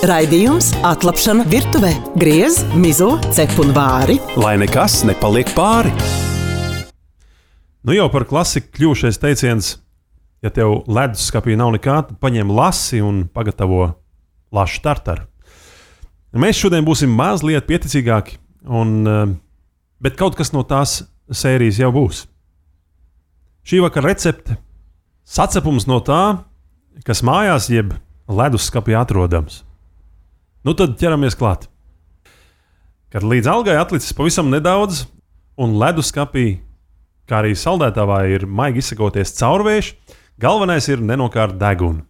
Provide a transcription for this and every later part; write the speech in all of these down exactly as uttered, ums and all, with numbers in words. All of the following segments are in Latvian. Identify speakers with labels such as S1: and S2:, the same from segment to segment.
S1: Raidījums Atlapšana virtuvē. Griez, mizo, cep un vāri.
S2: Lai nekas nepaliek pāri.
S3: Nu jau par klasiku kļūšais teiciens, ja tev leduskapī nav nekā, tad paņem lasi un pagatavo lašu tartaru. Mēs šodien būsim mazliet pieticīgāki, un, bet kaut kas no tās sērijas jau būs. Šī vakara recepte – sacepums no tā, kas mājās jeb leduskapī atrodams. Nu tad ķeramies klāt. Kad līdz algai atlicis pavisam nedaudz, un leduskapī, kā arī saldētavā ir maigi izsakoties caurvējš, galvenais ir nenokārt degunu.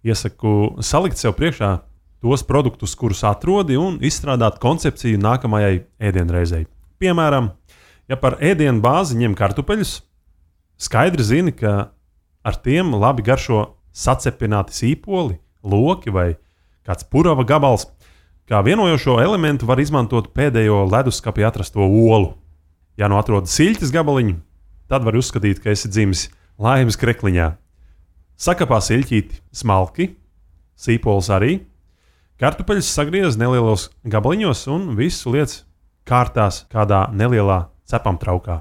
S3: Iesaku salikt sev priekšā tos produktus, kurus atrodi, un izstrādāt koncepciju nākamajai ēdienreizei. Piemēram, ja par ēdienu bāzi ņem kartupeļus, skaidri zini, ka ar tiem labi garšo sacepināti sīpoli, loki vai kāds purava gabals. Kā vienojošo elementu var izmantot pēdējo leduskapī atrasto olu. Ja nu atrod siļķes gabaliņu, tad var uzskatīt, ka esi dzimis laimes krekliņā. Sakapā siļķīti smalki, sīpols arī, kartupeļus sagriez nelielos gabaliņos un visu liec kārtās kādā nelielā cepamtraukā.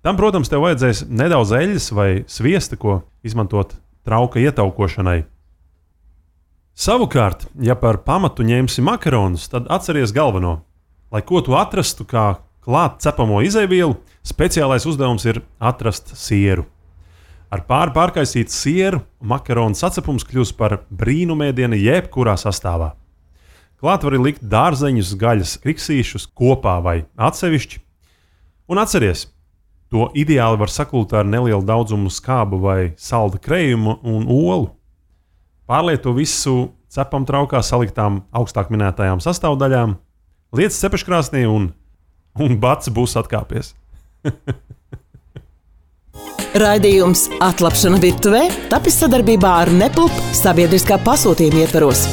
S3: Tam, protams, tev vajadzēs nedaudz eļļas vai sviesta, ko izmantot trauka ietaukošanai. Savukārt, ja par pamatu ņemsi makaronus, tad atceries galveno. Lai ko tu atrastu kā klāt cepamo izejvielu, speciālais uzdevums ir atrast sieru. Ar pāri pārkaisītu sieru makaronu sacepums kļūs par brīnumēdienu jebkurā sastāvā. Klāt var likt dārzeņus, gaļas kriksīšus kopā vai atsevišķi. Un atceries, to ideāli var sakult ar nelielu daudzumu skābu vai salda krējumu un olu. Pārliet to visu cepamtraukā saliktām augstāk minētajām sastāvdaļām, liec cepeškrāsnī un, un bats būs atkāpies.
S1: Raidījums Atlapšana virtuvē tapis sadarbībā ar Nepulp sabiedriskā pasūtījuma ietvaros.